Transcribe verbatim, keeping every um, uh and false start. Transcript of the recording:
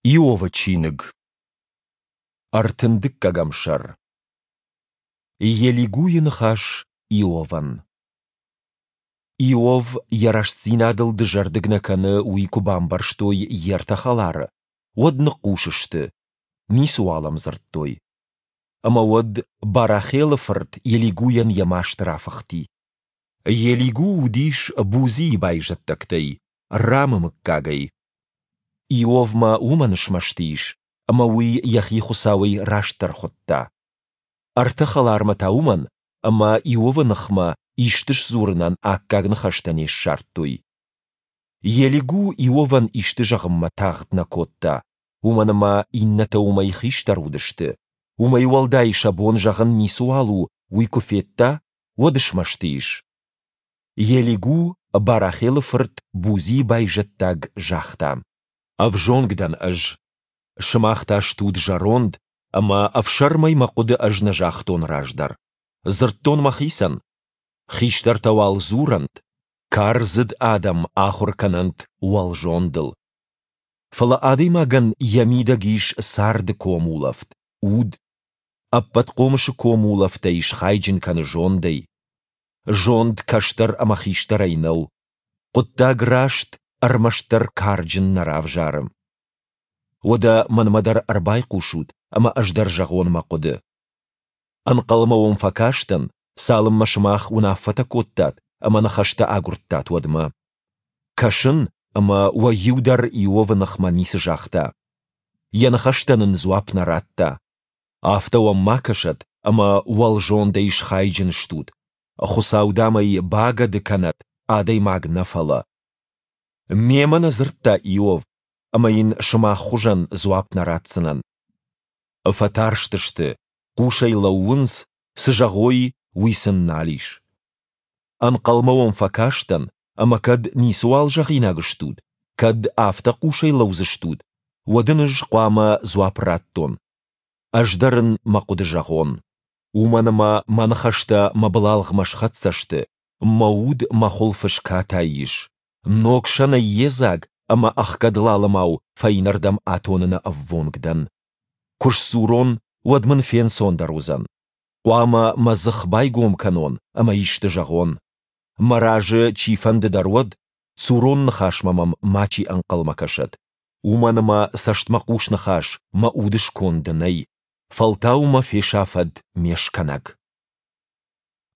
Иовы чиныг, ӕртын дыккӕгӕм сӕр. Елигуйы ныхас Иовӕн. Иов йӕ рӕстдзинадыл дызӕрдыг нӕ кӕны, уый куы бамбӕрстой йе ртӕ хӕлары, уӕд ныхъхъус сты, ницыуал ӕм дзырдтой. Ӕмӕ уӕд Барахелы фырт Елигуйӕн йӕ маст рафыхти. Елигу уыдис Бузийы байзӕддӕгтӕй, Рамы мыггагӕй. Иовмӕ уымӕн смӕсты ис, ӕмӕ уый йӕхи Хуыцауӕй растдӕр хуыдта. Ӕртӕ хӕлармӕ та уымӕн, ӕмӕ Иовы ныхмӕ исты сдзурынӕн аккаг ныхӕстӕ не ссардтой. Елигу Иовӕн исты зӕгъынмӕ тагъд нӕ кодта, уымӕн ӕмӕ иннӕтӕ уымӕй хистӕр уыдысты. Уымӕй уӕлдай сӕ бон зӕгъын ницыуал у, уый куы федта, уӕд смӕсты ис. Елигу, Барахелы фырт, Бузийы байзӕддаг, загъта: Ӕвзонг дӕн ӕз, сымах та стут зӕронд, ӕмӕ ӕфсӕрмӕй мӕ хъуыды ӕз нӕ загътон раздӕр. Дзырдтон мӕхицӕн: хистӕртӕ уал дзурӕнт, кардзыд адӕм ахуыр кӕнӕнт уӕлзондыл. Фӕлӕ адӕймагӕн йӕ мидӕг ис царды комулӕфт, уд. Ӕппӕтхъомысы комулӕфтӕй схайджын кӕны зондӕй. Зонд кӕстӕр ӕмӕ хистӕрӕй нӕу. Хъуыддаг раст ӕрмӕстдӕр карджын нӕ равзары. Уӕдӕ мӕнмӕ дӕр ӕрбайхъусут, ӕмӕ ӕз дӕр зӕгъон мӕ хъуыды. Ӕнхъӕлмӕ уӕм фӕкастӕн, цалынмӕ сымах уынаффӕтӕ кодтат ӕмӕ ныхӕстӕ агуырдтат, уӕдмӕ. Кӕсын, ӕмӕ уӕ иу дӕр Иовы ныхмӕ ницы загъта. Йӕ ныхӕстӕн ын дзуапп нӕ радта. Афтӕ уӕм ма кӕсӕд, ӕмӕ уӕлзондӕй схайджын стут. Хуыцау, дам ӕй, багӕды кӕнӕд, адӕймаг нӕ фӕлӕ. Мемӕ нӕ дзырдта Иов, ӕмӕ йын сымах хуызӕн дзуапп нӕ ратдзынӕн. Фӕтарстысты, хъусӕй лӕууынц, цы зӕгъой, уый сын нал ис. Ӕнхъӕлмӕ уӕм фӕкастӕн, ӕмӕ кӕд ницыуал зӕгъинаг стут, кӕд афтӕ хъусӕй лӕудзыстут, уӕд ын ӕз хъуамӕ дзуапп раттон. Ӕз дӕр ын мӕ хъуыды зӕгъон. Уымӕн ӕмӕ мӕ ныхӕстӕ мӕ былалгъмӕ схӕццӕ сты, мӕ уд мӕ хуылфы скатай ис. Ног сӕнӕй йедзаг ӕмӕ ӕхгӕд лалымау фӕйнӕрдӕм атоныны ӕввонг дӕн. Куы сдзурон, уӕд мын фенцондӕр уыдзӕн. Хъуамӕ мӕ дзых байгом кӕнон ӕмӕ исты зӕгъон. Мӕ разы чифӕнды дӕр уӕд, цурон ныхасмӕ мӕм мачи ӕнхъӕлмӕ кӕсӕд. Уымӕн ӕмӕ цӕстмӕхъус ныхас мӕ уды сконды нӕй, фӕлтау мӕ фесафӕд ме скӕнӕг.